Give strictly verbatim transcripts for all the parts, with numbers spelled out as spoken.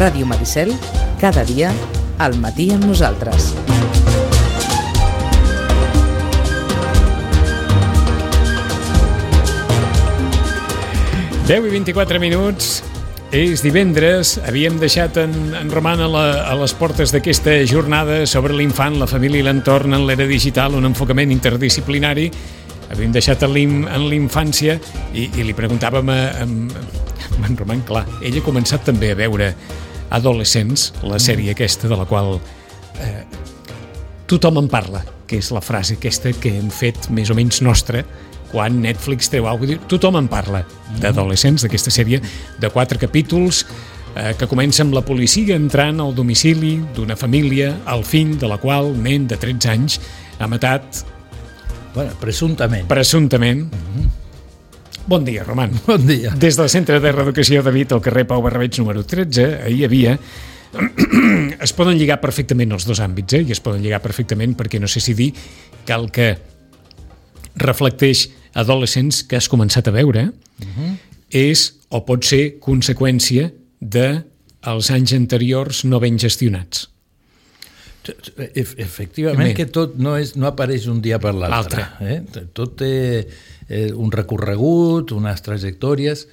Ràdio Maricel, cada dia, al matí amb nosaltres. deu i vint-i-quatre minuts, és divendres, havíem deixat en, en Roman a, la, a les portes d'aquesta jornada sobre l'infant, la família i l'entorn en l'era digital, un enfocament interdisciplinari. Havíem deixat en l'infància i, i li preguntàvem a, a, a en Roman, clar, ell ha començat també a veure Adolescents, la sèrie aquesta de la qual eh, tothom en parla, que és la frase aquesta que hem fet més o menys nostra quan Netflix treu alguna cosa, tothom en parla d'Adolescents, d'aquesta sèrie de quatre capítols eh, que comença amb la policia entrant al domicili d'una família, el fill de la qual, nen de tretze anys, ha matat... Bueno, presumptament. Presumptament. Mm-hmm. Bon dia, Roman. Bon dia. Des del Centre de Reeducació David, al carrer Pau Barrabeig número tretze, ahir hi havia... es poden lligar perfectament els dos àmbits, eh? I es poden lligar perfectament perquè no sé si dir que el que reflecteix Adolescents que has començat a veure uh-huh. és o pot ser conseqüència dels anys anteriors no ben gestionats. Efectivament, que tot no, és, no apareix un dia per l'altre. Eh? Tot té eh, un recorregut, unes trajectòries,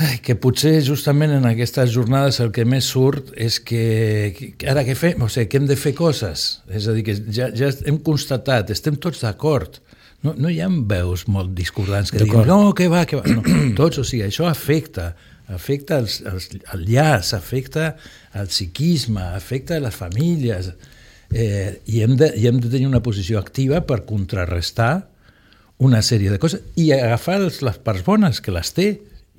ai, que potser justament en aquestes jornades el que més surt és que, que ara què fem? O sigui, que hem de fer coses. És a dir, que ja, ja hem constatat, estem tots d'acord. No, no hi ha veus molt discordants que diguin, no, que va, que va. No, tots, o sigui, això afecta, afecta els, els, el llaç, afecta el psiquisme, afecta les famílies, eh, i, hem de, i hem de tenir una posició activa per contrarrestar una sèrie de coses i agafar les parts bones, que les té,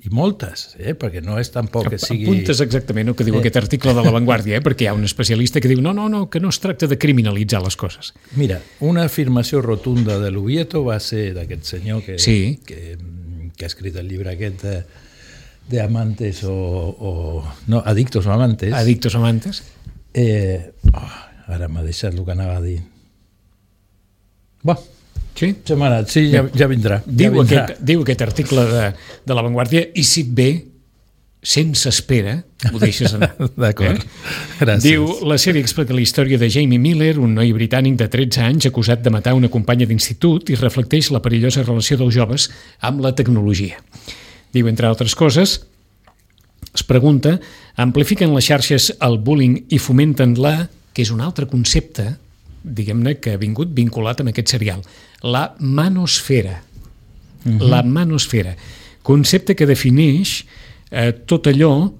i moltes, eh? Perquè no és tampoc que sigui... Apuntes exactament el que diu eh. aquest article de La Vanguardia, eh? Perquè hi ha un especialista que diu no, no, no, que no es tracta de criminalitzar les coses. Mira, una afirmació rotunda de l'Ubieto va ser d'aquest senyor que, sí. que, que ha escrit el llibre aquest de, de Amantes o, o... No, Adictos o Amantes. Adictos o Amantes. Eh, oh, ara m'ha deixat el que anava a dir. Bé, sí, sí ja, ja vindrà. Diu, ja vindrà. Aquest, diu aquest article de, de La Vanguardia i si et ve, sense espera, ho deixes anar. D'acord, eh? Gràcies. Diu, la sèrie explica la història de Jamie Miller, un noi britànic de tretze anys acusat de matar una companya d'institut i reflecteix la perillosa relació dels joves amb la tecnologia. Diu, entre altres coses, es pregunta, amplifiquen les xarxes el bullying i fomenten la, que és un altre concepte, diguem-ne, que ha vingut vinculat amb aquest serial, la manosfera. Uh-huh. La manosfera. Concepte que defineix eh, tot allò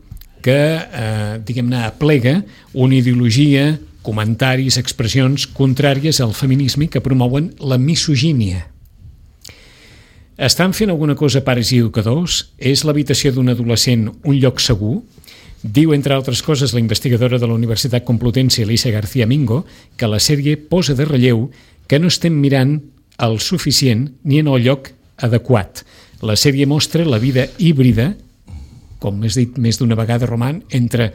que, eh, diguem-ne, aplega una ideologia, comentaris, expressions contràries al feminisme que promouen la misogínia. Estan fent alguna cosa pares i educadors? És l'habitació d'un adolescent un lloc segur? Diu, entre altres coses, la investigadora de la Universitat Complutense, Alicia García Mingo, que la sèrie posa de relleu que no estem mirant el suficient ni en el lloc adequat. La sèrie mostra la vida híbrida, com has dit més d'una vegada, Roman, entre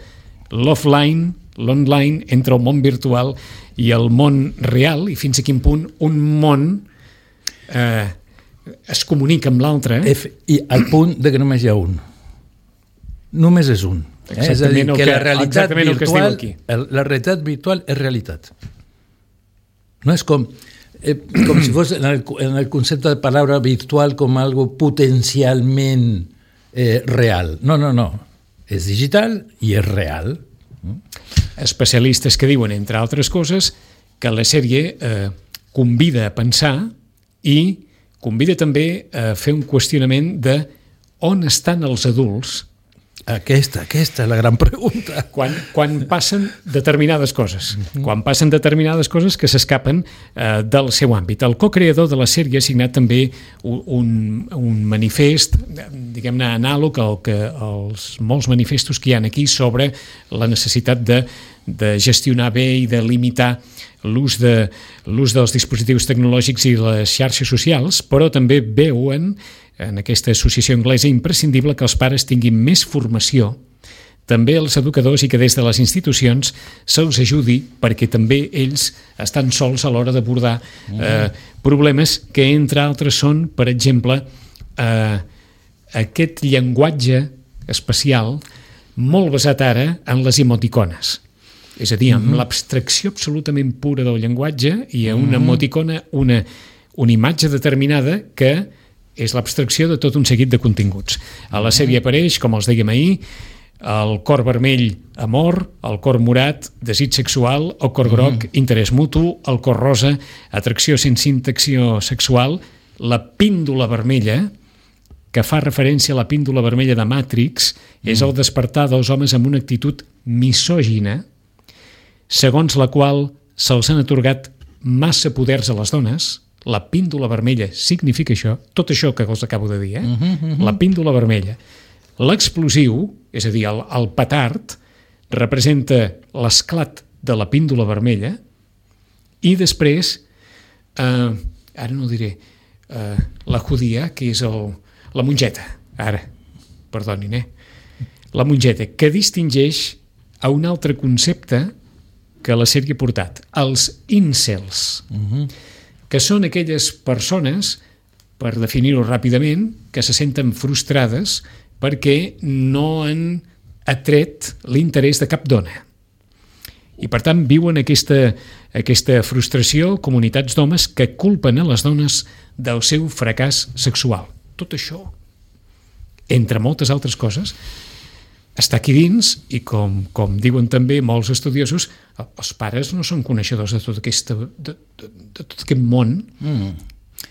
l'offline, l'online, entre el món virtual i el món real, i fins a quin punt un món eh, es comunica amb l'altre. I al punt de que només hi ha un. Només és un. Eh? És a dir, que, que la realitat virtual, la realitat virtual és realitat. No és com, eh, com si fos en el, en el concepte de paraula virtual com algo potencialment eh, real. No, no, no. És digital i és real. Especialistes que diuen, entre altres coses, que la sèrie eh, convida a pensar i convida també a fer un qüestionament de on estan els adults. Aquesta, aquesta és la gran pregunta. Quan, quan passen determinades coses, uh-huh. quan passen determinades coses que s'escapen eh, del seu àmbit. El co-creador de la sèrie ha signat també un, un manifest, diguem-ne, anàleg al que els molts manifestos que hi ha aquí sobre la necessitat de, de gestionar bé i de limitar l'ús de, l'ús dels dispositius tecnològics i les xarxes socials, però també veuen en aquesta associació anglesa imprescindible que els pares tinguin més formació, també els educadors, i que des de les institucions se'ls ajudi perquè també ells estan sols a l'hora d'abordar eh, problemes que, entre altres, són, per exemple, eh, aquest llenguatge especial molt basat ara en les emoticones. És a dir, amb mm-hmm. l'abstracció absolutament pura del llenguatge i a una mm-hmm. emoticona, una, una imatge determinada que és l'abstracció de tot un seguit de continguts. A la sèrie apareix, com els dèiem ahir, el cor vermell, amor, el cor morat, desig sexual, el cor groc, mm-hmm. interès mutu, el cor rosa, atracció sense interacció sexual, la píndola vermella, que fa referència a la píndola vermella de Matrix, mm. és el despertar dels homes amb una actitud misògina, segons la qual se'ls han atorgat massa poders a les dones. La píndola vermella significa això, tot això que us acabo de dir, eh? Mm-hmm, mm-hmm. La píndola vermella. L'explosiu, és a dir, el, el petard, representa l'esclat de la píndola vermella i després, eh, ara no ho diré, eh, la judia, que és el, la mongeta, ara, perdonin, eh? La mongeta, que distingeix a un altre concepte que la sèrie ha portat, els incels, uh-huh. que són aquelles persones, per definir-ho ràpidament, que se senten frustrades perquè no han atret l'interès de cap dona. I, per tant, viuen aquesta, aquesta frustració comunitats d'homes que culpen a les dones del seu fracàs sexual. Tot això, entre moltes altres coses, està aquí dins i, com, com diuen també molts estudiosos, els pares no són coneixedors de tot, aquesta, de, de, de tot aquest món mm.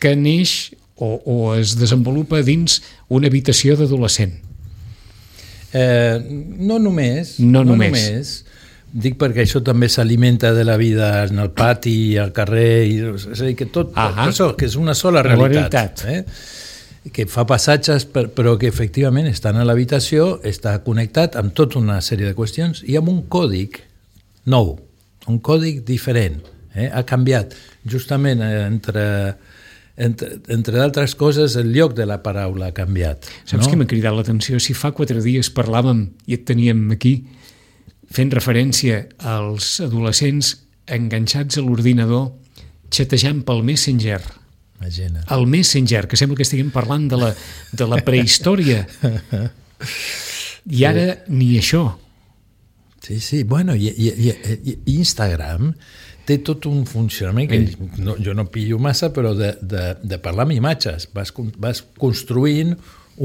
que neix o, o es desenvolupa dins una habitació d'adolescent. Eh, no només. No, no només. només. Dic perquè això també s'alimenta de la vida en el pati, al carrer, i, és a dir, que tot, això, que és una sola realitat. realitat. Eh? Que fa passatges, però que efectivament estan a l'habitació, està connectat amb tota una sèrie de qüestions i amb un còdic nou, un còdic diferent. Eh? Ha canviat justament entre, entre, entre d'altres coses, el lloc de la paraula ha canviat. Saps no? què m'ha cridat l'atenció? Si fa quatre dies parlàvem i et teníem aquí fent referència als adolescents enganxats a l'ordinador xatejant pel Messenger. Imagina. El Messenger, que sembla que estiguem parlant de la, de la prehistòria. I ara sí. ni això. Sí, sí. Bueno, i, i, i, i Instagram té tot un funcionament que no, jo no pillo massa, però de, de, de parlar amb imatges. Vas, vas construint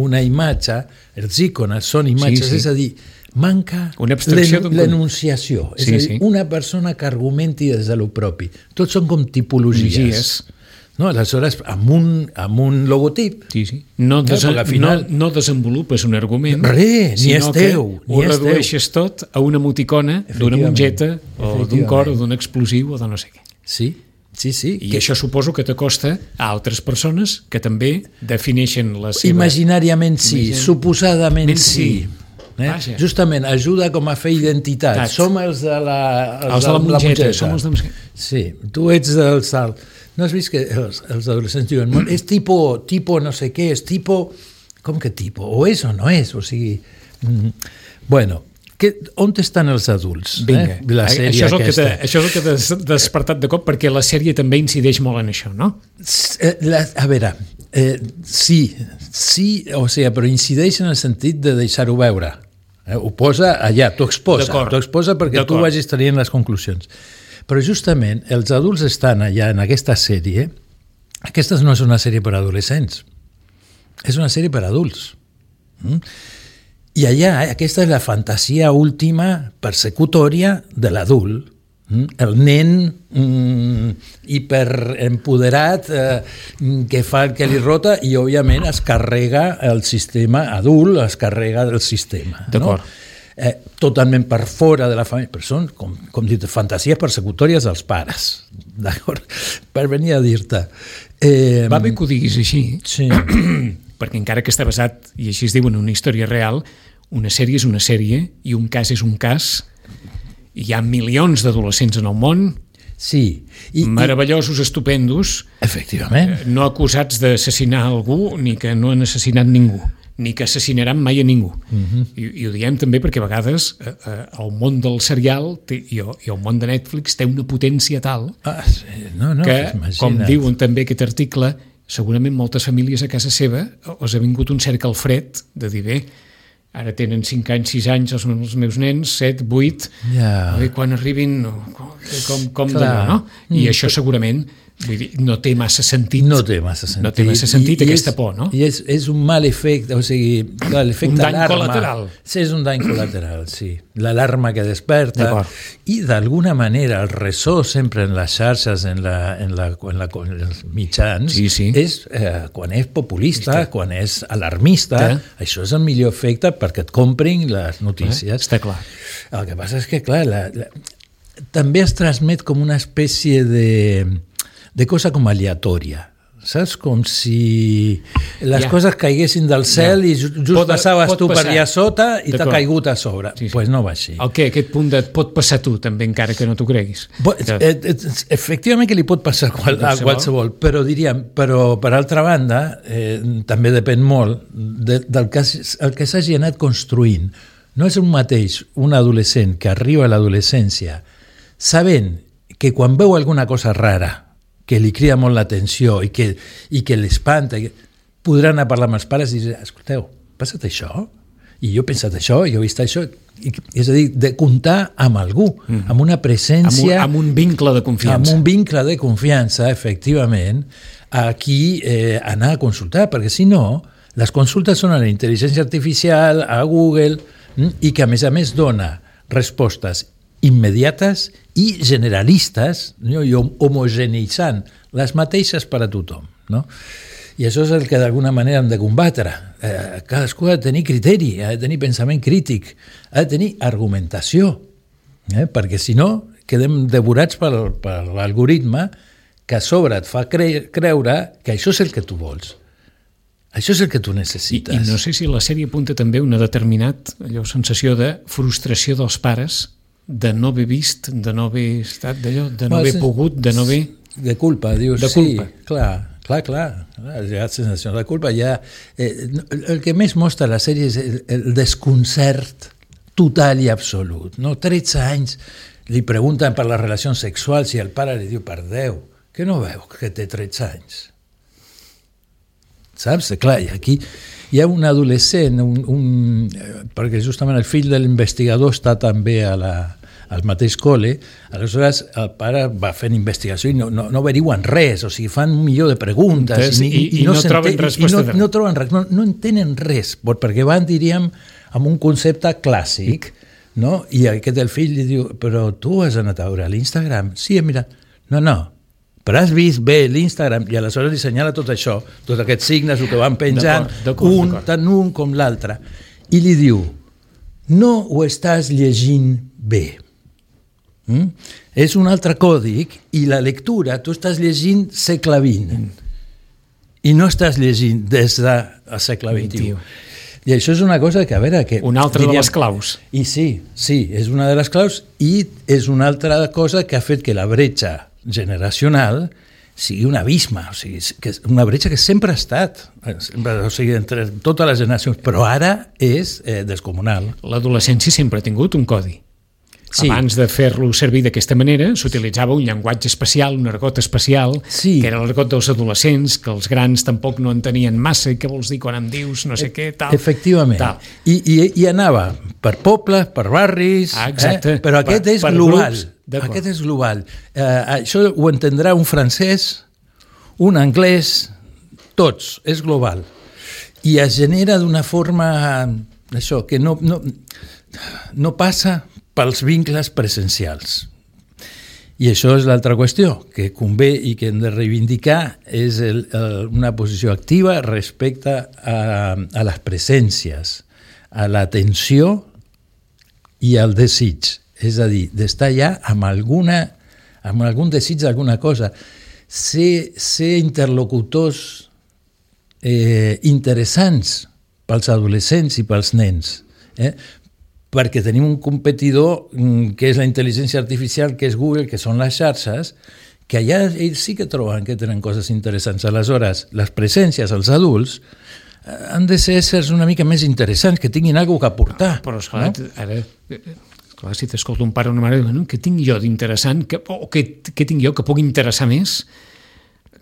una imatge, els icones són imatges, sí, sí. és a dir, manca l'enunciació. És sí, a dir, sí. una persona que argumenti des de lo propi. Tots són com tipologies. Logies. No, aleshores, amb un, amb un logotip... Sí, sí. No, desa no, final... no, no desenvolupes un argument, Re, ni és teu, ni ho redueixes tot a una emoticona d'una mongeta o d'un cor o d'un explosiu o de no sé què. Sí, sí, sí. I que... això suposo que t'acosta a altres persones que també defineixen la seva... Imaginàriament sí, Imagin... suposadament sí. sí. Eh? Justament, ajuda com a fer identitat. Tat. Som els de la, els els de la, mongeta, la som els de... Sí, tu ets del salt. No has vist que els, els adolescents diuen és tipo, tipo no sé què, és tipo... Com que tipo? O és o no és? O sigui... Mm, bueno, que, on estan els adults? Vinga, eh? La sèrie això, és el aquesta. que això és el que t'ha despertat de cop, perquè la sèrie també incideix molt en això, no? La, a veure, eh, sí, sí, o sigui, però incideix en el sentit de deixar-ho veure. Eh? Ho posa allà, t'ho exposa, t'ho exposa perquè tu vagis traient les conclusions. Però justament els adults estan allà en aquesta sèrie. Aquesta no és una sèrie per adolescents, és una sèrie per adults. Mm? I allà aquesta és la fantasia última persecutòria de l'adult. Mm? El nen mm, hiperempoderat eh, que fa el que li rota i òbviament es carrega el sistema adult, es carrega del sistema. D'acord. No? Eh, totalment per fora de la família, però són, com, com dit, fantasies persecutòries dels pares, d'acord? Per venir a dir-te. Eh, Va bé que ho diguis així, sí. perquè encara que està basat, i així es diu en una història real, una sèrie és una sèrie i un cas és un cas. Hi ha milions d'adolescents en el món, sí. I, meravellosos, i... estupendos, efectivament. Eh, no acusats d'assassinar algú ni que no han assassinat ningú, ni que assassinaran mai a ningú. Uh-huh. I, I ho diem també perquè a vegades eh, eh, el món del serial té, i, i el món de Netflix té una potència tal ah, sí. no, no, que, com diuen també aquest article, segurament moltes famílies a casa seva us ha vingut un cert calfred de dir, bé, Ara tenen cinc anys, sis anys, els, els meus nens, set, vuit, Ja. i quan arribin, com, com Clar. d'allò, no? I Mm. això segurament, vull dir, no té massa sentit. No té massa sentit. No té massa sentit I, aquesta i és, por, no? I és, és un mal efecte, o sigui, clar, l'efecte Un dany alarma. col·lateral. Sí, és un dany col·lateral, sí. L'alarma que desperta D'acord. i d'alguna manera el ressò sempre en les xarxes, en, la, en, la, en, la, en els mitjans, Sí, sí. és eh, quan és populista, Està. quan és alarmista, Està. això és el millor efecte perquè et comprin les notícies. Està clar. El que passa és que, clar, la, la, també es transmet com una espècie de, de cosa com aleatòria. Saps? Com si les Ja. coses caiguessin del cel Ja. i just Pot- passaves pot tu per passar. allà sota i t'ha D'acord. caigut a sobre. Doncs Sí, sí. pues no va així. El què? Aquest punt de et pot passar a tu, també, encara que no t'ho creguis. Bo- Que- eh, eh, Efectivament que li pot passar a qual- a Qualsevol. qualsevol, però diríem, però per altra banda, eh, també depèn molt de, del que, s- el que s'hagi anat construint. No és un mateix un adolescent que arriba a l'adolescència sabent que quan veu alguna cosa rara, que li crida molt l'atenció i que, i que l'espanta, i que- podrà anar a parlar amb els pares i dir, escolteu, passa't això? I jo he pensat això, jo he vist això. I, és a dir, de comptar amb algú, mm. amb una amb, un, presència, amb un vincle de confiança. amb un vincle de confiança, efectivament, a qui eh, anar a consultar, perquè si no, les consultes són a la intel·ligència artificial, a Google, mm, i que a més a més dona respostes immediates i generalistes, no? I hom- homogeneitzant les mateixes per a tothom. No? I això és el que d'alguna manera hem de combatre. Eh, cadascú ha de tenir criteri, ha de tenir pensament crític, ha de tenir argumentació, eh? perquè si no quedem devorats per, per l'algoritme que a sobre et fa cre creure que això és el que tu vols. Això és el que tu I, necessites. I no sé si la sèrie apunta també una determinat allò, sensació de frustració dels pares de no haver vist, de no haver estat d'allò, de no Bueno, haver sí. pogut, de no haver... De culpa, dius, De sí, culpa. clar, clar, clar, clar, hi ha sensació de culpa, ja, eh, el que més mostra la sèrie és el, el desconcert total i absolut, no? tretze anys, li pregunten per les relacions sexuals i el pare li diu, per Déu, que no veu que té tretze anys? Saps? Clar, i aquí hi ha un adolescent, un, un, eh, perquè justament el fill de l'investigador està també a la, al mateix col·le, aleshores el pare va fent investigació i no, no, no averiguen res, o sigui, fan un milió de preguntes Entonces, i, i- i no s'entén- troben i resposta no, de res. no troben res, no, no entenen res, perquè van, diríem, amb un concepte clàssic, no? I aquest el fill li diu, però tu has anat a veure l'Instagram? Sí, he mirat. No, no, però has vist bé l'Instagram i aleshores li senyala tot això, tots aquests signes, el que van penjant, D'acord, d'acord, un, d'acord. tant un com l'altre, i li diu, no ho estàs llegint bé. Mm? És un altre còdic i la lectura, tu estàs llegint segle vint i no estàs llegint des del segle vint-i-u. I això és una cosa que, a veure... Que, Una altra de diríem, les claus. I sí, sí, és una de les claus i és una altra cosa que ha fet que la bretxa generacional sigui un abisme, o sigui, que és una bretxa que sempre ha estat, sempre, o sigui, entre totes les generacions, però ara és eh, descomunal. L'adolescència sempre ha tingut un codi. Sí. Abans de fer-lo servir d'aquesta manera, s'utilitzava un llenguatge especial, un argot especial, Sí. que era l'argot dels adolescents, que els grans tampoc no entenien massa, i què vols dir quan em dius no sé què, tal. Efectivament. Tal. I, i, I anava per pobles, per barris, Ah, exacte. eh? però aquest Per- és per global. grups, d'acord. Aquest és global. Eh, això ho entendrà un francès, un anglès, tots, és global. I es genera d'una forma, això, que no, no, no passa pels vincles presencials. I això és l'altra qüestió, que convé i que hem de reivindicar és el, el, una posició activa respecte a, a les presències, a l'atenció i al desig. És a dir, d'estar allà amb, alguna, amb algun desig d'alguna cosa. Ser, ser interlocutors eh, interessants pels adolescents i pels nens. Eh? Perquè tenim un competidor que és la intel·ligència artificial, que és Google, que són les xarxes, que allà ells sí que troben que tenen coses interessants. Aleshores, les presències als adults han de ser éssers una mica més interessants, que tinguin alguna cosa a aportar. Però, esclar, no? ara, esclar, si t'escolta un pare o una mare, no? Què tinc jo d'interessant, que, o què, què tinc jo que pugui interessar més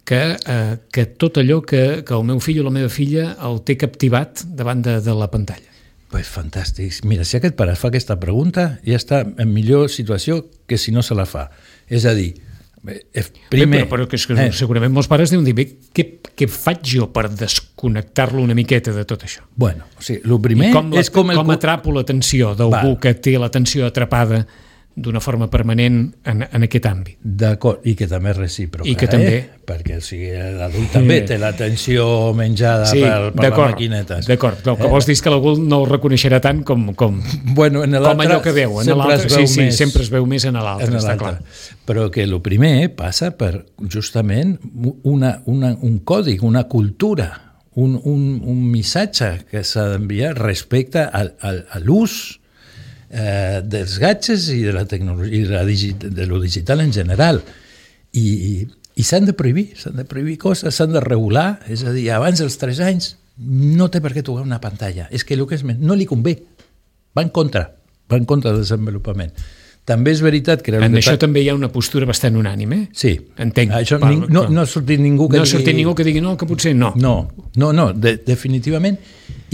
que, eh, que tot allò que, que el meu fill o la meva filla el té captivat davant de, de la pantalla. Pues fantàstic. Mira, si aquest pare fa aquesta pregunta, ja està en millor situació que si no se la fa. És a dir, primer... Bé, però, però que, que eh. segurament molts pares deuen dir, bé, què, què faig jo per desconnectar-lo una miqueta de tot això? Bueno, o sigui, el primer com la, és com... El... Com atrapo l'atenció d'algú que té l'atenció atrapada d'una forma permanent en, en aquest àmbit. D'acord, i que també és recíproca. I que eh? també... Perquè o sigui, l'adult també té l'atenció menjada sí, per, per les maquinetes. D'acord, el que eh? vols dir és que l'adult no ho reconeixerà tant com, com, bueno, en com allò que veu. En l'altre, sí, sí, més, sempre es veu més en l'altre, està clar. Però que el primer passa per justament una, una, un codi, una cultura, un, un, un missatge que s'ha d'enviar respecte a, a, a l'ús Eh, dels gadgets i de la tecnologia i de, la digi, de lo digital en general i, i, i s'han de prohibir s'han de prohibir coses, s'han de regular, és a dir, abans dels tres anys no té per què tocar una pantalla, és que el que és més, no li convé, va en contra va en contra del desenvolupament. També és veritat que... En això també hi ha una postura bastant unànime, eh? Sí. Entenc. Això, ning, no, no ha sortit ningú que no digui... No ha sortit ningú que digui no, que potser no. No, no, no de, definitivament,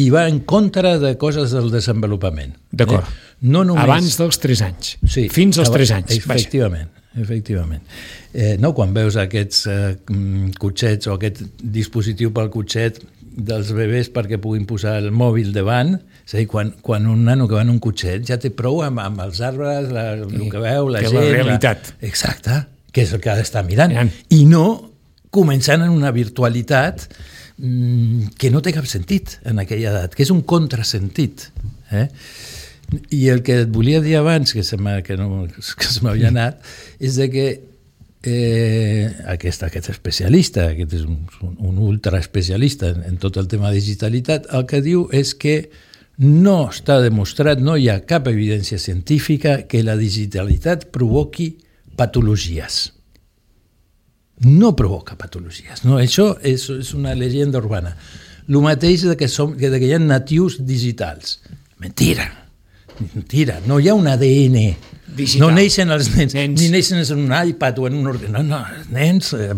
i va en contra de coses del desenvolupament. D'acord. Eh? No només... Abans dels tres anys. Sí. Fins als tres anys. Efectivament. Vaja. Efectivament. Eh, no, quan veus aquests eh, cotxets o aquest dispositiu pel cotxet dels bebès perquè puguin posar el mòbil davant, és a dir, quan, quan un nano que va en un cotxet ja té prou amb, amb els arbres, la, el sí, que veu, la que gent... la realitat. La... Exacte, que és el que ha d'estar mirant. mirant. I no començant en una virtualitat mmm, que no té cap sentit en aquella edat, que és un contrasentit. Eh? I el que et volia dir abans, que se m'ha, que no, que se m'havia anat, és de que eh, aquest, aquest especialista, aquest és un, un ultra especialista en, en tot el tema de digitalitat, el que diu és que no està demostrat, no hi ha cap evidència científica que la digitalitat provoqui patologies. No provoca patologies. No, això és, és una llegenda urbana. El mateix de que, som, de que hi ha natius digitals. Mentira. Mentira, no hi ha un A D N digital. No neixen els nens, nens, ni neixen en un iPad o en un ordinador. No, no, els nens eh,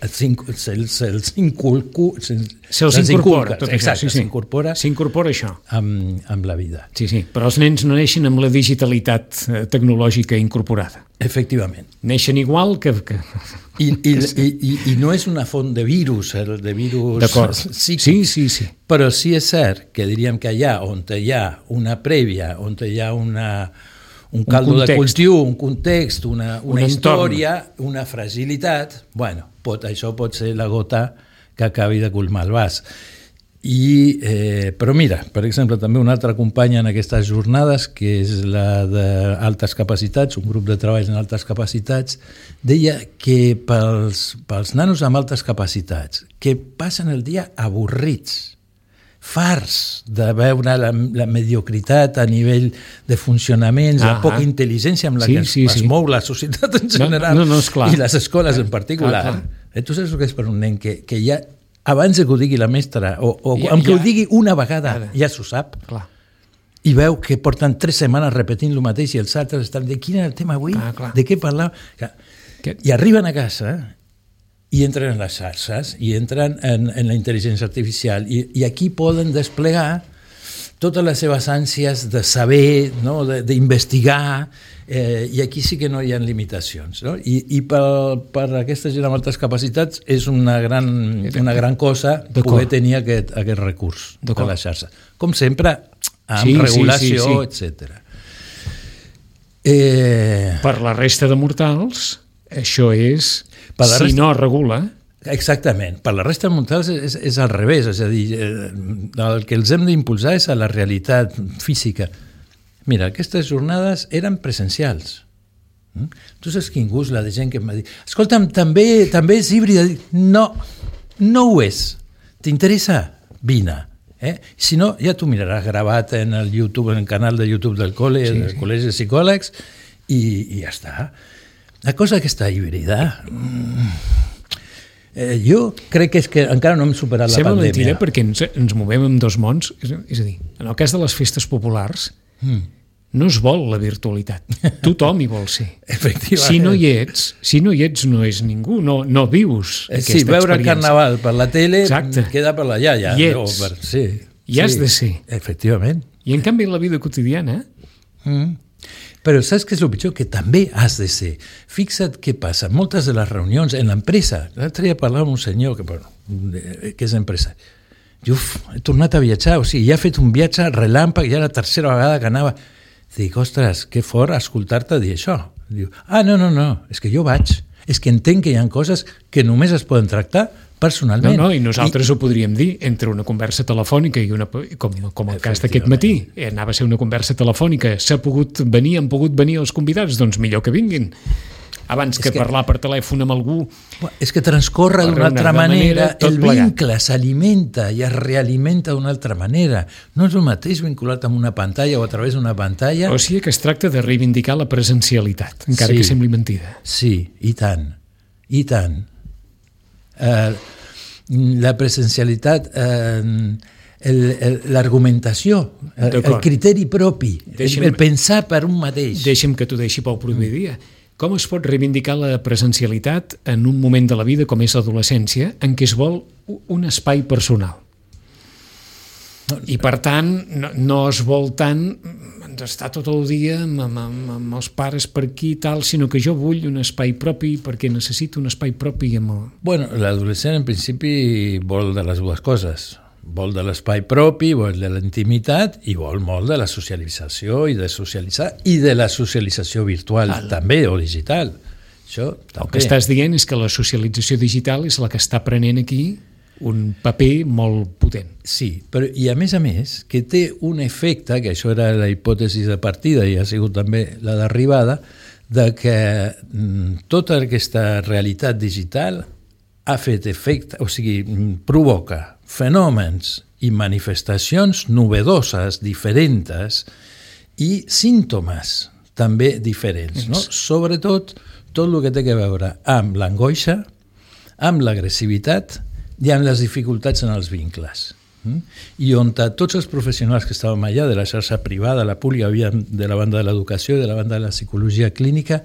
se'ls se inculcu, se se'ls incorpora. Tot exacte, això, sí, sí. s'incorpora s'incorpora això. Amb, amb la vida. Sí, sí, però els nens no neixen amb la digitalitat tecnològica incorporada. Efectivament. Neixen igual que... que... I, i, i, i, I no és una font de virus, el de virus psíquics. Sí, sí, sí. Però sí és cert que diríem que allà on hi ha una prèvia, on hi ha una, un caldo un de cultiu, un context, una, una un història, entorn. Una fragilitat, bueno, pot, això pot ser la gota que acabi de colmar el vas. I, eh, però mira, per exemple, també una altra companya en aquestes jornades, que és la d'altes capacitats, un grup de treball en altes capacitats, deia que pels, pels nanos amb altes capacitats, que passen el dia avorrits, farts de veure la, la mediocritat a nivell de funcionaments, la poca intel·ligència amb la sí, que sí, es sí. mou la societat en general no, no, no, i les escoles en particular. Clar, clar. Tu saps el que és per un nen que, que ja abans que ho digui la mestra, o, o ja, amb que ja, ho digui una vegada, ja, ja s'ho sap, clar. I veu que porten tres setmanes repetint el mateix i els altres estan de quin era el tema avui, ah, de què parlàvem, que... i arriben a casa i entren en les xarxes i entren en, en la intel·ligència artificial i, i aquí poden desplegar totes les seves ànsies de saber, no? d'investigar, eh, i aquí sí que no hi ha limitacions. No? I, i per, per aquesta gent amb altres capacitats és una gran, una gran cosa poder tenir aquest, aquest recurs de la xarxa. Com sempre, amb sí, regulació, sí, sí, sí. etcètera. Eh... Per la resta de mortals, això és, si resta... no regula... Exactament. Per la resta de mortals és, és al revés, és a dir, el que els hem d'impulsar és a la realitat física. Mira, aquestes jornades eren presencials. Tu saps quin gust la de gent que em va dir escolta'm, també, també és híbrida. No, no ho és. T'interessa? Vine. Eh? Si no, ja t'ho miraràs gravat en el YouTube, en el canal de YouTube del col·le, sí, del sí. Col·legi de Psicòlegs, i, i ja està. La cosa aquesta híbrida... Mm, Eh, jo crec que és que encara no hem superat la Sembla pandèmia. Sembla mentida perquè ens, ens movem en dos mons, és, és a dir, en el cas de les festes populars mm. no es vol la virtualitat, tothom hi vol ser. Efectivament. Si no hi ets, si no hi ets no és ningú, no, no vius eh, aquesta sí, veure experiència. Carnaval per la tele. Exacte. Queda per la iaia. Hi ets, per, sí, hi has sí, de ser. Efectivament. I en canvi la vida quotidiana... Mm. Però saps què és el pitjor? Que també has de ser. Fixa't què passa. Moltes de les reunions en l'empresa, l'altre dia parlava amb un senyor que, bueno, que és empresari. Diu, he tornat a viatjar, o sigui, ja he fet un viatge relàmpag, ja la tercera vegada que anava. Dic, ostres, que fort escoltar-te dir això. Diu, ah, no, no, no, és que jo vaig. És que entenc que hi ha coses que només es poden tractar personalment. No, no, i nosaltres I... ho podríem dir entre una conversa telefònica i una, com, com el cas d'aquest matí. Anava a ser una conversa telefònica, s'ha pogut venir, han pogut venir els convidats, doncs millor que vinguin. Abans que, que parlar per telèfon amb algú... És que transcorre d'una altra manera, manera el vincle s'alimenta i es realimenta d'una altra manera. No és el mateix vinculat amb una pantalla o a través d'una pantalla... O sigui que es tracta de reivindicar la presencialitat, encara sí, que sembli mentida. Sí, i tant, i tant. Uh, la presencialitat, uh, l'argumentació, el, el criteri propi, deixa'm, el pensar per un mateix. Deixa'm que t'ho deixi pel proper dia. Com es pot reivindicar la presencialitat en un moment de la vida com és l'adolescència en què es vol un espai personal? I per tant no, no es vol tant estar tot el dia amb, amb, amb els pares per aquí i tal, sinó que jo vull un espai propi perquè necessito un espai propi amb el... Bueno, l'adolescent en principi vol de les dues coses. Vol de l'espai propi, vol de la intimitat i vol molt de la socialització i de socialitzar i de la socialització virtual Al... també, o digital. Això també. El que estàs dient és que la socialització digital és la que està prenent aquí un paper molt potent. Sí, però i a més a més que té un efecte, que això era la hipòtesi de partida i ha sigut també la d'arribada, de que mm, tota aquesta realitat digital ha fet efecte, o sigui, provoca fenòmens i manifestacions novedoses, diferents, i símptomes també diferents, no? Sobretot tot el que té a veure amb l'angoixa, amb l'agressivitat i amb les dificultats en els vincles. I on tots els professionals que estàvem allà, de la xarxa privada, la pública, de la banda de l'educació i de la banda de la psicologia clínica,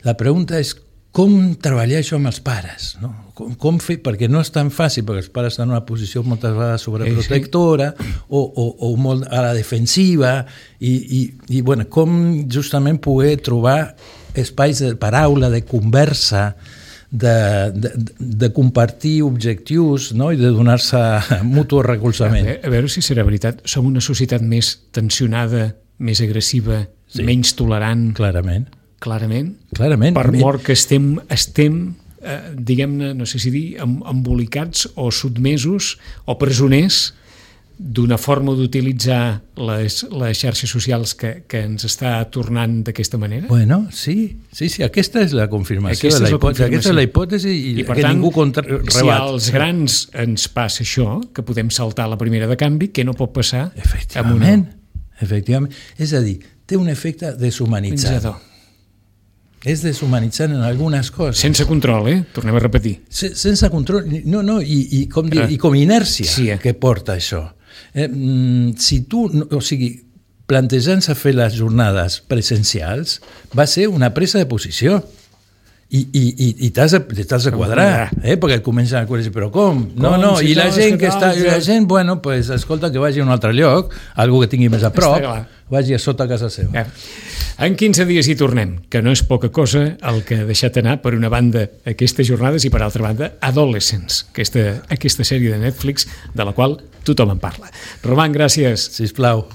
la pregunta és com treballar això amb els pares, no? Com, com fer, perquè no és tan fàcil, perquè els pares estan en una posició moltes vegades sobreprotectora sí, sí. O, o, o molt a la defensiva i, i, i bueno, com justament poder trobar espais de paraula, de conversa, de, de, de compartir objectius, no? I de donar-se mutu recolzament. A, a veure si serà veritat, som una societat més tensionada, més agressiva, sí. Menys tolerant. Clarament. Clarament. Clarament. Per mort que estem, estem eh, diguem-ne, no sé si dir, embolicats o sotmesos o presoners d'una forma d'utilitzar les, les xarxes socials que, que ens està tornant d'aquesta manera? Bueno, sí, sí, sí, aquesta és la confirmació, aquesta de la, la hipòtesi, aquesta és la hipòtesi i, I per que tant, ningú contra... rebat. Si als grans ens passa això, que podem saltar la primera de canvi, què no pot passar? Efectivament, una... efectivament. És a dir, té un efecte deshumanitzador. És deshumanitzant en algunes coses. Sense control, eh? Tornem a repetir. Se, sense control, no, no, i, i, com dir, i com inèrcia sí, eh? Que porta això. Eh, si tu, o sigui, plantejant-se fer les jornades presencials, va ser una presa de posició. I, i, i, i t'has de, t'has de quadrar, eh? Perquè et comencen a dir, però com? No, no, i la gent que està, i la gent, bueno, pues, escolta, que vagi a un altre lloc, algú que tingui més a prop, vagi a sota casa seva. En quinze dies hi tornem, que no és poca cosa el que ha deixat anar, per una banda, aquestes jornades i per altra banda, Adolescents, aquesta, aquesta sèrie de Netflix de la qual tothom en parla. Roman, gràcies. Sisplau.